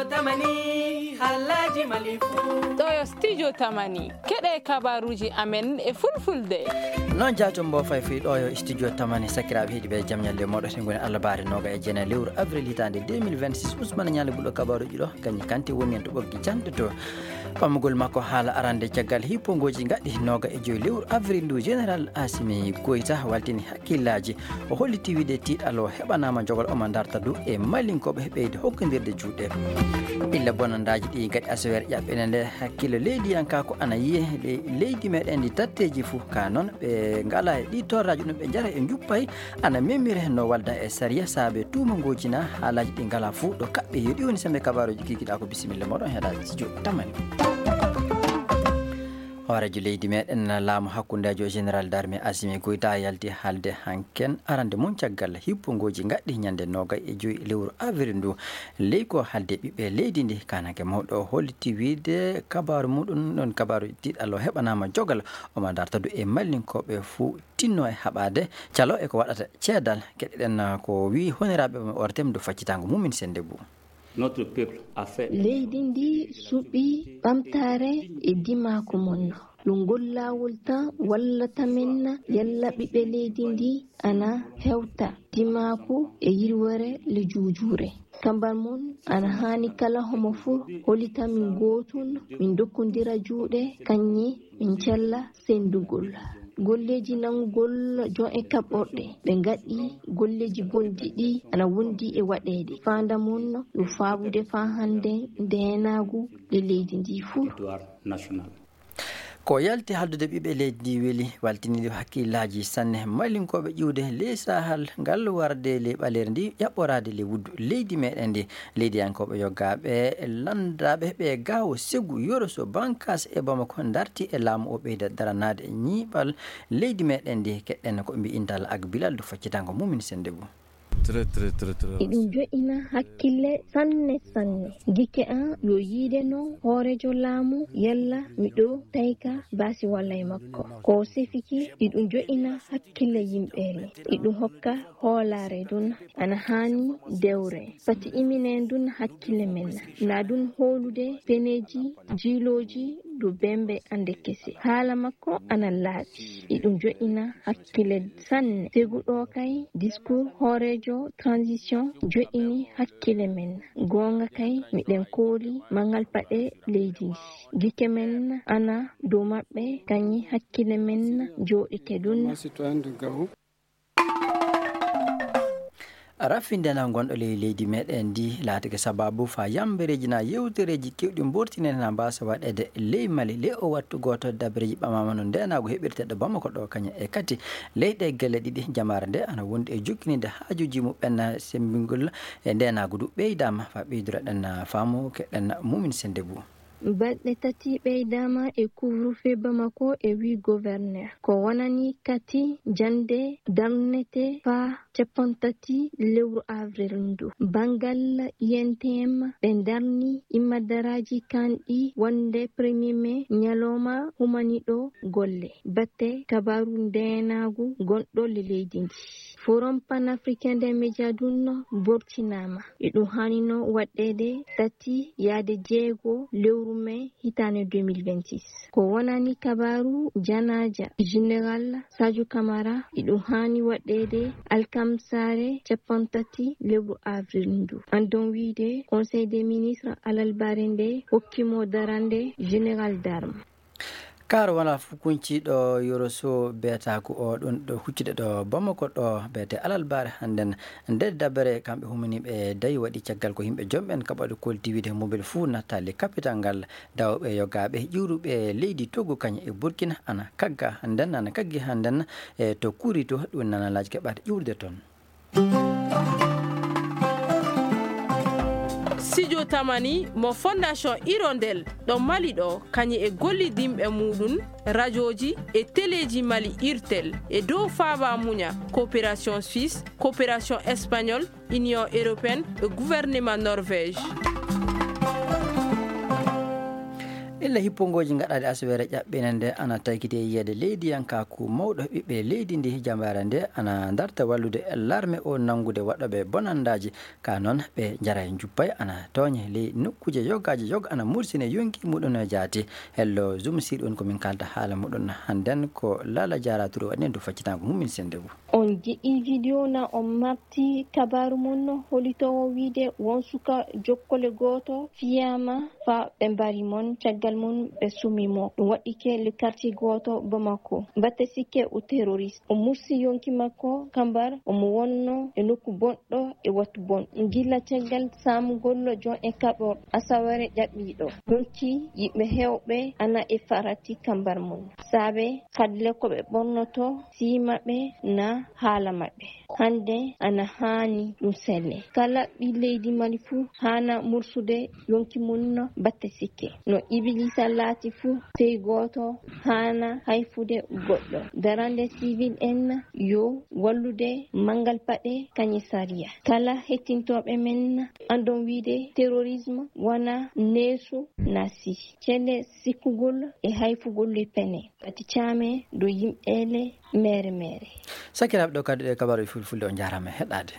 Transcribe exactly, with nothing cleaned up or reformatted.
Tamani, halaji malifu. Ɗo yo studio Tamani. Keɗe kabaruji amen e fulfulde. Noon jaatum mbo fay fii ɗo yo studio Tamani. Sakiraaɓe heɗi ɓe jam ñalle moɗo, ɗe ngoni Allah baare noga e jeenayi lewru avril hitaande deux mille vingt-six. Usmane Ñaali Ɓuɗo kabaruji ɗo, kañum kanti woni en to ɓoggi jande to. Ɓamugol makko haala arande caggal hippongoji ngaɗɗi noga e joyi lewru avril ndu, Général Asimi Goyta waltini hakkillaaji. O holliti wiide tiiɗal o heɓanaama jogol, omo darta du e Malinkooɓe ɓeyde hokkondirde juuɗe. Illa bonandaaji ɗi ngaɗi aseweere ƴaɓɓene nde hakkille leydiyankaaku ana yiye le-, leydi meɗen ndi tatteeji fuu. Ka noon ɓe ngala e ɗi torraaji ɗum ɓe njara e njuppay ana memire no walda e sariya saabe tuuma ngooji na haalaaji ɗi ngala fuu ɗo kaɓɓe. Yo ɗi woni sembe kabaaruji kikiɗa ko bisimilla moɗon heɗa studio Tamani. Hooreejo leydi meɗen laamu hakkundeejo Général d'armée Assimi Goïta yalti haalde hanken arande mum caggal hippongoji ngaɗɗi ñande nogay e joyi lewru avril ndu. Ley ko haalde ɓiɓɓe leydi ndi kanake mawɗo o holliti wiide kabaaru muɗum ɗon kabaaru tiiɗal o heɓanaama jogal omo darta du e mallinkooɓe fuu tinno e haɓaade calo e ko waɗata ceedal. Keɗeɗen ko wi honiraaɓe o ortem du faccitango mumin sende bu. Notre peuple a fait. Leydi ndi suɓi ɓamtaare e dimaaku mum. Ɗum ngol laawol tan wallata men yalla ɓiɓɓe leydi ndi ana hewta dimaaku e yirwere le juujuure. Kambar mum ana haani kala homo fuu hollita min gootun, min ndokkondira juuɗe, kañum min cella senndugol. Golleeji nanngugol jon e kaɓɓorɗe, ɓe ngaɗi golleeji bonɗi ɗi ana wondi e waɗeede. Faanda mum no ɗum faabude faa hannde ndeenaagu e leydi ndi fuu. Territoire national. Ko yalti haaldude ɓiɓɓe leydi ndi weli, waltini ɗum hakkillaaji sanne. Malinkooɓe ƴiwde ley Sahel ngal warde ley ɓaleeri ndi, ƴaɓɓoraade ley wuddu leydi meɗen ndi. Leydiyankooɓe yogaaɓe lanndaaɓe ɓe Gaawo, Segu, Yoro, so Bankaas e Bamako darti e laamu o ɓeyda daranaade ñiiɓal leydi meɗen ndi. Keɗen ko mbiy intal ak Bilal du faccitango mumin sende bu. Très, très, très, très. Eɗum jo'ina hakkille sanne sanne. Gike an yo yiide no hooreejo laamu yalla miɗo tayka baasi walla e makko. Ko sefiki eɗum jo'ina hakkille yimɓe ne. Eɗum hokka hoolaare dun ana haani dewre. Pati iminen dun hakkille men. Na dun hoolude peneeji, jiilooji, du bembe ande kese. Haala makko ana laaɓi. Eɗum jo'ina hakkille sanne. Seguɗo kay, discours hooreejo transition jo'ini hakkille men. Goonga kay, miɗen kooli mangal paɗe leydi ndi. Gike men ana dow maɓɓe, kañi hakkille men jooɗike ɗun. Raffinde na gonɗo ley leydi meɗen ndi laatike sababu fa yambereeji na yewtereeji kewɗi mbortine na mbasa waɗeede ley Mali. Ley o wattu gooto dabareeji ɓamama no ndeenaagu heɓirteɗo Bamako ɗo kañum e kati ley ɗe gelle ɗiɗi jamaare nde ana wondi e jokkininde haajuuji muɓɓen sembingol e ndeenaagu du ɓeydaama fa ɓeyduroɗen faamu keɗen mumin sende bu. Balɗe tati ɓeydaama e couvre-feu Bamako e wi gouverneur. Ko wonani kati jande darnete faa cappanɗe tati lewru avril ndu. Banngal I N T M ɓe darni immadaraaji kanɗi wonde premier mai ñalawma humaniɗo golle. Batte kabaaru ndeenaagu gonɗo le leydi ndi. Forum panafricain des médias ɗun bortinaama. Eɗum haanino waɗɗeede tati yaade jeego lewru mai hitaande deux mille vingt-six. Ko wonani kabaaru janaaja Général Sadio Camara, eɗum haani waɗɗeede alkamsaare cappanɗe tati lewru avril ndu. Andon wiide Conseil des ministres alalbaare nde hokkimo darande Général d'armes. Kaaro wonaa fof kuñciiɗo Yoro Sow beetaaku o ɗum ɗo huccude ɗo Bamako ɗo beete alalbaare hannden. Nde dabere kamɓe humaniiɓe dayi waɗi caggal ko yimɓe jomɓen kaɓaɗo kolti wiide mobel fuu nattaali kapital ngal. Dawɓe yogaaɓe ƴuuruɓe leydi Togo kañum e Burkina ana kagga hannden, ana kaggi hannden e to Kuri to ɗum nanalaaji keɓata ƴuurde toon. Studio Tamani mo Fondation Hirondelle ɗo Mali ɗo, kañum e gollidinɓe muɗum, rajooji e teleeji Mali, Irtel, e dow faaba muña, coopération suisse, coopération espagnole, Union européenne e gouvernement Norvège. Illa hippongooji gaɗaaɗi asaweere ƴaɓɓiinde nde ana taykiti e yiyeede leydiyankaaku mawɗo ɓiɓɓe leydi ndi, jambaare nde ana darta wallude larme o nanngude waɗooɓe bonandaaji. Ka noon ɓe njara e njuppay ana tooñe ley nokkuuje yogaaji yoga ana mursine yonki muɗum jaati. Hello Zoom siɗi on ko min kalda haala muɗum hannden ko Lala Jaara Touré waɗi en to faccitango mum min sende ngu. On ji'i video na on mafti kabaaru mon holitoowo wiide won suka jokkole gooto fiyaama fa ɓe mbari mon caggal mum ɓe sumi mo. Ɗum waɗɗike le quartier gooto Bamako. Batte sikke o terroriste. O mursi yonki makko kambar omo wonno e nokku bonɗo e wattu bon. Gila caggal saamugol jon e kaɓor asawere ƴaɓɓiiɗo. Yonki yiɓɓe heewɓe ana e farati kambar mum. Saabe kadle ko ɓe ɓornoto sii maɓɓe na haala maɓɓe. Hannde ana haani ɗum selle. Kala ɓi leydi Mali fuu haana mursude yonki mum no batte sikke. No Ibilisa laati fuu, sey gooto haana hayfude goɗɗo. Darande sivil en yo wallude manngal paɗe kañe sariya. Kala hettintooɓe men andon wiide terrorisme wana neesu nasi. Celle sikkugol e hayfugol le pene. Ati caame do yimɓeele mere mere. Sakiraaɓe, ɗo kadi ɗe kabaruuji fulfulde, on njaaraama e heɗaade.